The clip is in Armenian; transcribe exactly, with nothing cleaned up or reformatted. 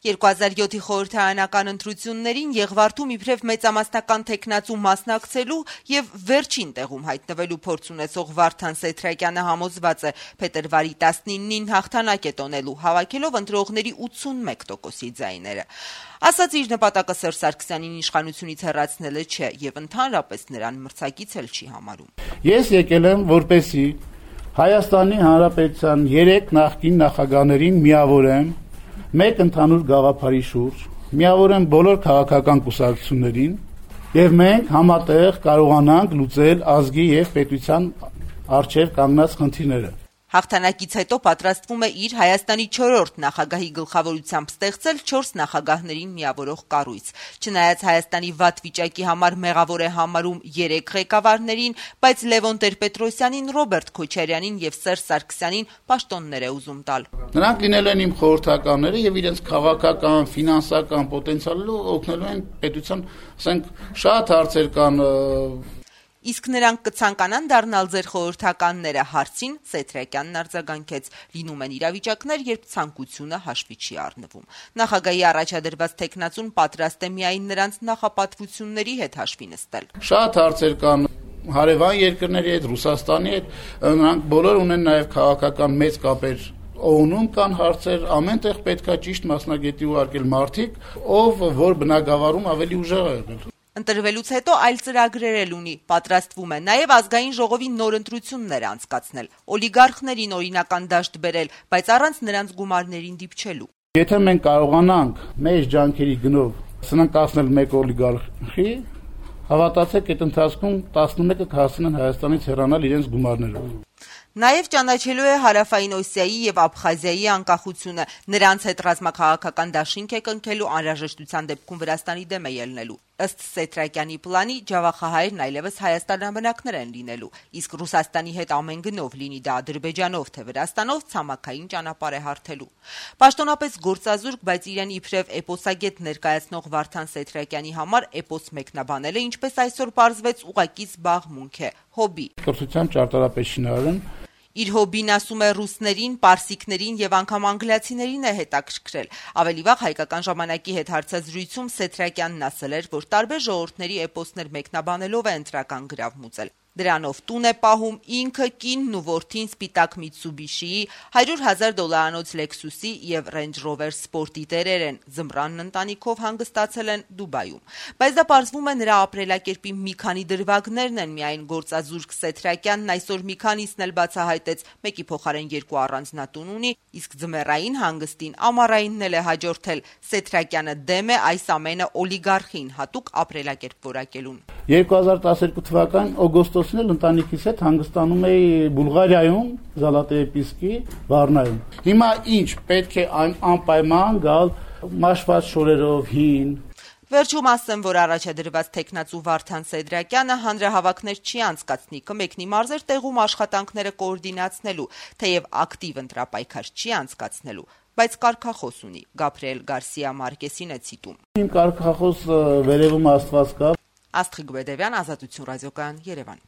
երկու հազար յոթի խորհրդարանական ընտրություններին Եղվարդում իբրև մեծամասնական թեկնածու մասնակցելու եւ վերջին տեղում հայտնվելու փորձ ունեցող Վարդան Սեթրակյանը համոզված է փետրվարի տասնինին հաղթանակ է տոնելու, հավաքելով ընտրողների ութսունմեկ տոկոսի ձայները։ Ասաց իր նպատակը Սերժ Սարգսյանին իշխանությունից հեռացնելը չէ եւ ընդհանրապես նրան մրցակից էլ չի համարում։ Ես եկել եմ որպեսզի Հայաստանի Հանրապետության երեք նախկին նախագահներին միավորեմ մեկ ընդհանուր գաղափարի շուրջ, միավորեմ բոլոր քաղաքական կուսակցություններին եւ մենք համատեղ կարողանանք լուծել ազգի եւ պետության առջեւ կանգնած խնդիրները։ Հաղթանակից հետո պատրաստվում է իր Հայաստանի չորրորդ նախագահի գլխավորությամբ ստեղծել չորս նախագահներին միավորող կառույց։ Չնայած Հայաստանի վատ վիճակի համար մեղավոր է համարում երեք ղեկավարներին, բայց Լևոն Տեր-Պետրոսյանին, Ռոբերտ Քոչարյանին եւ Սերժ Սարգսյանին պաշտոններ է ուզում տալ։ Նրանք լինել են իմ խորհրդականները եւ իրենց քաղաքական, ֆինանսական պոտենցիալը օգնելու են պետության, ասենք, շատ հարցեր կան։ Իսկ նրանք կցանկանան դառնալ ձեր խորհրդականները հարցին Սեթրակյանն արձագանքեց. լինում են իրավիճակներ, երբ ցանկությունը հաշվի չի առնվում։ Նախագահի առաջադրված թեկնածուն պատրաստ է միայն նրանց նախապատվությունների հետ հաշվի նստել։ Շատ հարցեր կան հարևան երկրների հետ, Ռուսաստանի հետ, նրանք բոլոր ունեն նաև քաղաքական մեծ կապեր։ Օնում կան հարցեր, ամենտեղ պետքա ճիշտ մասնագետի ուղարկել մարդիկ, ով որ բնակավարում ավելի ուժեղ է եղել։ Ընտրվելուց հետո այլ ծրագրեր էլ ունի, պատրաստվում է նաև ազգային ժողովի նոր ընտրություններ անցկացնել, օլիգարխներին օրինական դաշտ բերել, բայց առանց նրանց գումարներին դիպչելու։ Եթե մենք կարողանանք մեր ջանքերի գնով սնանկացնել մեկ օլիգարխի, հավատացեք, այդ ընթացքում տասնմեկը կհասցնեն Հայաստանից հեռանալ իրենց գումարներով։ Նաև ճանաչելու է Հարավային Օսիայի եւ Աբխազիայի անկախությունը, նրանց հետ ռազմաքաղաքական դաշինք է կնքելու, անհրաժեշտության դեպքում Վրաստանի դեմ է ելնելու։ Ըստ Սեթրակյանի պլանի Ջավախահայերն այլևս հայաստանաբնակներ են լինելու, իսկ Ռուսաստանի հետ ամեն գնով, լինի դա Ադրբեջանով թե Վրաստանով, ցամաքային ճանապարհ է հարթելու։ Պաշտոնապես գործազուրկ, բայց իրեն իբրև էպոսագետ ներկայացնող Վարդան Սեթրակյանի համար էպոս մեկնաբանելը, ինչպես այսօր պարզվեց, ուղղակի զբաղմունք է, հոբբի։ Կրթության ճարտարապետ շինարարն Իր հոբին, ասում է, ռուսներին, պարսիկներին եւ անգամ անգլիացիներին է հետաքրքրել։ Ավելի վաղ հայկական ժամանակի հետ հարցազրույցում Սեթրակյանն ասել էր, որ տարբեր ժողովուրդների էպոսներ մեկնաբանելով է ընտրական գրավ մուծել։ Դրանով տուն է պահում ինքը, կինն ու որդին սպիտակ Միցուբիշիի, հարյուր հազար դոլարանոց Լեքսուսի եւ Range Rover Sport-ի տերեր են, զմրանն ընտանիքով հանգստացել են Դուբայում։ Բայց դա պարզվում է նրա ապրելակերպի մի քանի դրվագներն են, միայն գործազուրկ Սեթրակյանն այսօր մի քանիսն էլ բացահայտեց, մեկի փոխարեն երկու առանձնատուն ունի, իսկ ձմեռային հանգստին ամառայինն էլ է հաջորդել։ Սեթրակյանը դեմ է այս ամենը օլիգարխին հատուկ ապրելակերպ որակելուն։ երկու հազար տասներկու թվականին օգոստոսին էլ ընտանիքիս հետ հանգստանում էի Բուլղարիայում, Զալատեեպիսկի Վառնայում։ Հիմա ինչ, պետք է անպայման գալ մաշված շորերով հին։ Վերջում ասեմ, որ առաջադրված թեկնածու Վարդան Սեթրակյանը հանրահավաքներ չի անցկացնի, կմեկնի մարզեր տեղում աշխատանքները կոորդինացնելու, թեև ակտիվ ընտրապայքար չի անցկացնելու, բայց կարգախոս ունի։ Գաբրիել Գարսիա Մարկեսին է ցիտում։ Իմ կարգախոս վերևում Աստված կա։ Աստղիկ Բեդևյան, Ազատություն ռադիոկայան, Երևան։